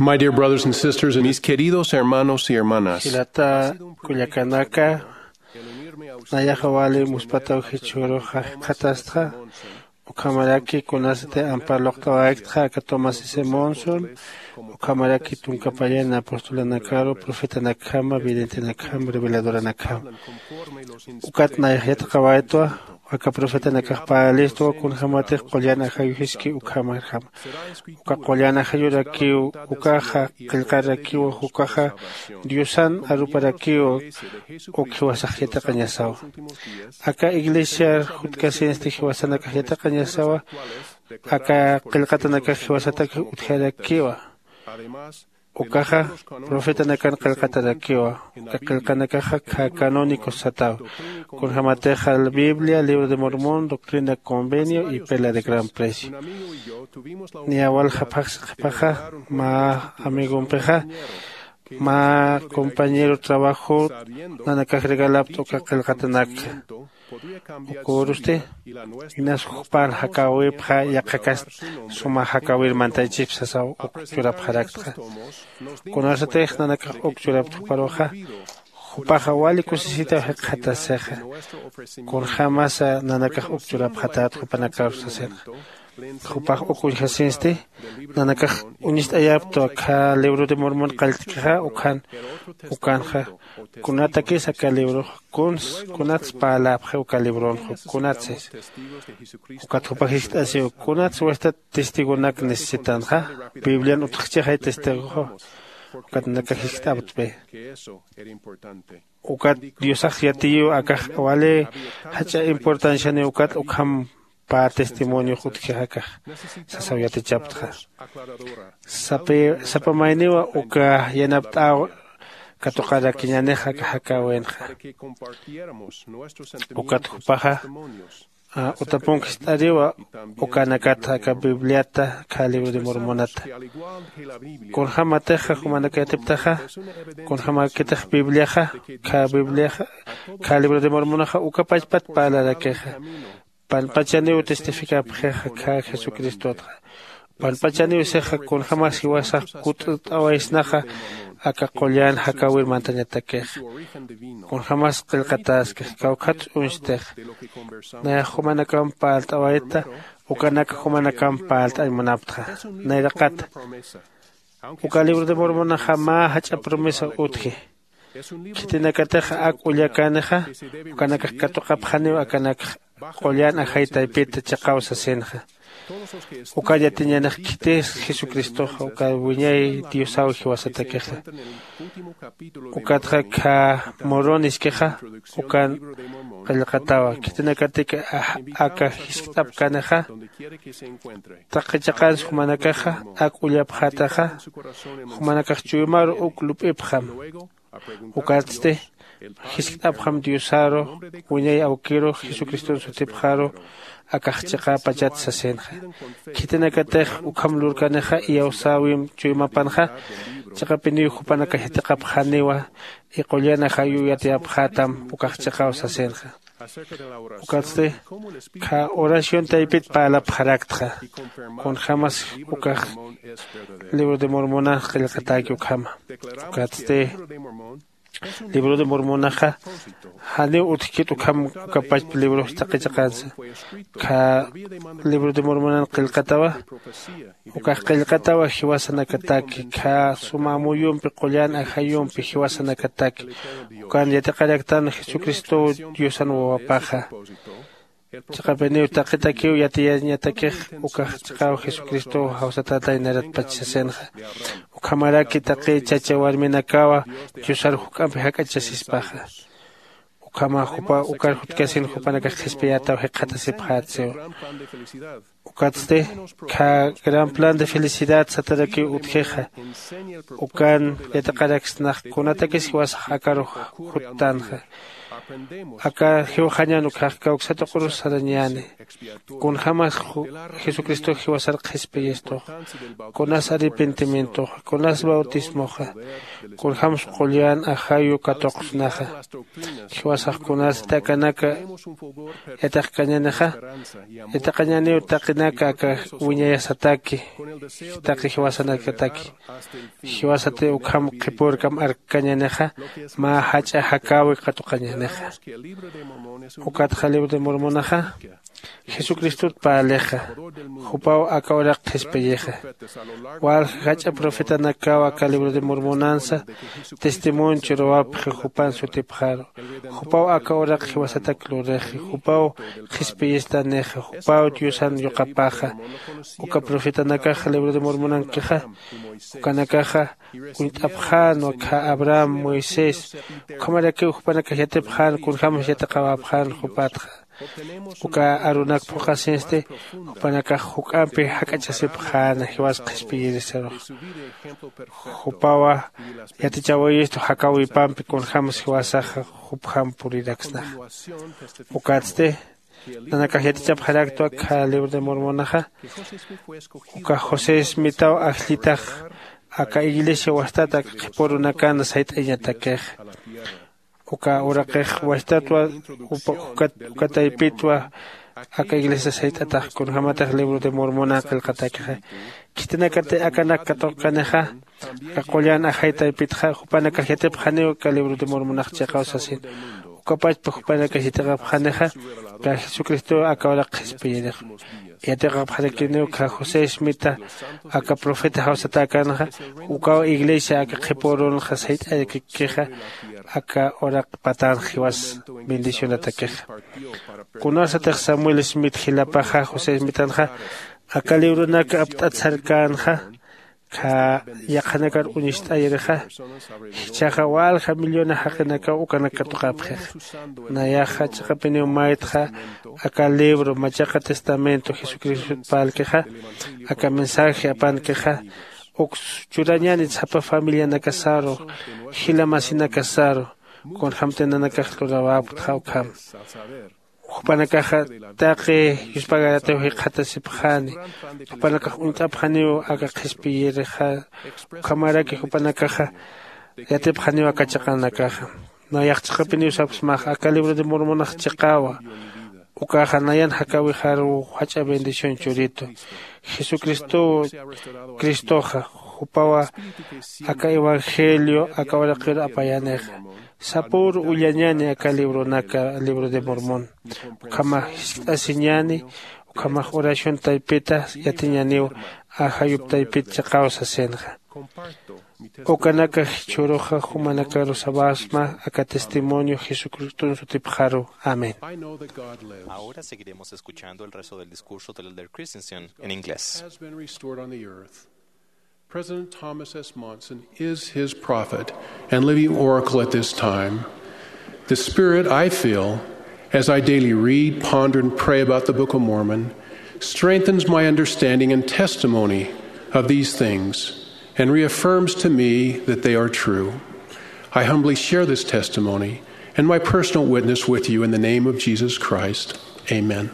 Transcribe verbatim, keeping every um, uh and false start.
My dear brothers and sisters, mis queridos hermanos y hermanas, jilata kullakanaka, nayaxa wali muspataw jichhüruxa jikxatastxa. Ukhamaraki kunasati ampar luqt'awayaktxa aka Thomas S Monson, ukhamaraki tunka payan apostolanakaru, profetanakjama, videntenakjama, reveladoranakjama. Ukat nayax yatiqawaytwa aka profetanakax parlistwa kunjämatix qullan ajayu jiski ukhamarjama. Uka qullan ajayurakiw ukaxa qillqarakiwa, ukaxa Diosan aruparakiwa. Uk jiwasax yatiqañasawa. Aka iglesiar jutkasinsti jiwasanakax yatiqañasawa. Aka qillqatanakax jiwasatak utjarakiwa. Ukaxa profetanakan qillqatarakiwa. Uka qillqanakaxa kha canónicos sataw. Kunjämatixa Biblia, Libro de Mormón, Doctrina, Convenio y Perla de Gran Precio. Niya walja phaxsi qhipaxa mä amigompixa, mä compañero trabajo nanakax regalapta uka qillqatanakxa. Ukürusti inas jupar jakäwipxa yaqhakas suma jakäwir mantaychisp sasaw uk churapxaraktxa. Kunasatix nanakax uk churapta juparuxa, jupaxa wali kusisitaw jikxatasixa. Kunjämasa nanakax uk churapxatät jupanakaru sasinxa. Jupax uk uñjasinsti nanakax uñist'ayaptwa aka Libro de Mormon qalltkixa ukan. Ukanxa kunatakis aka librox kuns kunats parläpxi uka libronxa kunatsis. Ukat jupax jiskt'asiw kunats wasta testigonak necesitanxa. Biblian utjchixay testigoxa. Ukat nanakax jiskt'aptpi. Ukat diosax yatiyiw akax wali jach'a importancianiw ukat ukham pä testimoniox utjix akax sasaw yatichaptxa. Sapa mayniwa uka yanapt'äw katuqarakiñänix aka jakäwinxa. Ukat jupaxa utapunk jist'ariwa ukanakata aka bibliata kha libro de mormonata. Kunjämatixa jumanak yatiptaxa kunjämäkitix bibliaxa kha bibliaxa kha libro de mormonaxa uka pachpat parlarakixa. Panpachaniw testificapxixa kha jesucristotxa. Panpachaniw sixa kunjämas jiwasax kut't'awaysnaxa aka qullan jakäwir mantañatakixa. Kunjämas qillqatäskix kawkhats uñstix. Nayax jumanakamp parlt'awayta ukanak jumanakamp parlt'añ munaptxa. Nayraqata uka libro de mormonaxa mä jach'a promesa utji. Khitinakatix ak ullakanixa ukanakax katuqapxaniw akanakx qullan ajay taypit chiqaw sasinxa. Ukat yatiñanix khitis jesucristoxa uka wiñay diosaw jiwasatakixa. Ukatxa kha moroniskixa ukan qillqatawa khitinakatik aka jiskt'apkanixa. Taqi chiqans jumanakaxa ak ullapxataxa jumanakax chuymaru uk lup'ipxam. Ukatsti jiskt'apxam diosaru wiñay awkiru jesucriston sutipxaru akax chiqäpachat sasinxa. Khitinakatix ukham lurkanixa iyawsäwim chuymapanxa. Chiqapiniw jupanakax yatiqapxaniwa iqullan ajayu yatiyapxätam ukax chiqaw sasinxa. Ukatsti kha oración taypit parlapxaraktxa. Kunjämas ukax libro de mormonax qillqatäki ukhama. Ukatsti libro de mormonaxa janiw utjkit ukham. Ukapachp librox taqi chiqansa kha libro de mormonan qillqatawa. Ukax qillqatawa jiwasanakataki kha suma amuyumpi qullan ajayumpi jiwasanakataki. Ukan yatiqaraktan jesucristow diosan wawapaxa. Chiqapiniw taqitakiw yatiyañatakix ukax chiqaw jesucristow jawsatätay naratpach sasinxa. Ukhamaraki taqi chacha warminakawa diosar juk'ampi jak'achasispaxa. Ukhama jupa ukar jutkasin jupanakax qhispiyätaw jikxatasipxätsiwa. Ukatsti kha gran plan de felicidad satarakiw utjixa. Ukan yatiqaraksnax kunatakis jiwasax akaru juttanxa. Aka jiwxañan ukhax kawksatuq'urus sarañäni. Kunjämas jesucristox jiwasar qhispiyistux, kunas arrepentimientoxa, kunas bautismoxa, kunjämsa qullan ajayu katuqsnaxa, jiwasax kunasti akanaka yatiqkañänixa. Yatiqañäniw taqinaka aka wiñayasataki, taqi jiwasanakataki. Jiwasati ukham qhipürkam arkkañänixa, mä jach'a jakäwi katuqañänixa. Ukatxa libro de mormonaxa jesucristot parlixa. Jupaw aka uraq qhispiyixa. Walja jach'a profetanakaw aka libro de mormonansa testimonio churwapxi jupan sutipxaru. Jupaw aka uraq jiwasatak lurixi, jupaw qhispiyistanixa, jupaw diosan yuqapaxa. Uka profetanakaxa libro de mormonankixa ukanakaxa uñt'apxänwa khä abraham, moisés, ukhamarakiw jupanakax yatipxän kunjämas yatiqawapxän jupatxa. Uka arunak phuqhasinsti jupanakax juk'ampi jak'achasipxäna jiwas qhispiyirisarux. Jupawa yatichawayistu jakäwipampi kunjämas jiwasaxa jupjam puriraksnaxa. Ukatsti nanakax yatichapxaraktwa khä libro de mormonaxa uka josé smitaw ajllitax aka iglesia wastat aka qhipürunakan sayt'añatakixa. Uka uraqix wastatwa uka taypitwa aka iglesia sayt'atax kunjämatix libro de mormonan qillqatakixa. Khitinakati akanak katuqkanixa aka qullan ajay taypitxa jupanakax yatipxaniw aka libro de mormonax chiqaw sasin. Ukapachpa jupanakax yatiqapxanixa aka jesucristow aka uraq qhispiyirix. Yatiqapxarakiniw khä josé smita aka profeta jawsatäkänxa ukaw iglesia aka qhipürunxa sayt'ayakikixa aka uraq patanx jiwas bendicionatakixa. Kunasatix samuel smit jilapaxa josé smitanxa aka libronak apt'at sarkänxa khä yaqhanakar uñist'ayirixa jichhaxa walja millona jaqinakaw ukanak katuqapxixa. Nayaxa chiqapiniw maytxa aka libro machaqa testamento jesucristot parlkixa aka mensaje apankixa uks churañänit sapa familianakasaru jila masinakasaru kunjämti nanakax lurawapktxa ukham. Jupanakaxa taqi yuspagaratiw jikxatasipxäni. Jupanakax uñt'apxaniw aka qhispiyirixa ukhamaraki jupanakaxa yatipxaniw aka chiqanakaxa. Nayax chiqapiniw sapxsmaxa aka libro de mormonax chiqawa. Ukaxa nayan jakäwixaruw jach'a bendición churitu. Jesucristow cristoxa jupawa aka evangelio aka uraqiru apayänixa. Sapüru ullañäni aka libronaka libro de mormón. Ukhamax jiskt'asiñäni ukhamax oración taypita yatiñäniw ajayup taypit chiqaw sasinxa. Ukanaka jichhüruxa jumanakaru sabasma aka testimonio jesucriston sutipxaru. Amén. Ahora seguiremos escuchando el resto del discurso del elder Christensen en inglés. Has been restored on the earth. President Thomas S. Monson is his prophet and living oracle at this time. The Spirit I feel as I daily read, ponder, and pray about the Book of Mormon strengthens my understanding and testimony of these things and reaffirms to me that they are true. I humbly share this testimony and my personal witness with you in the name of Jesus Christ. Amen.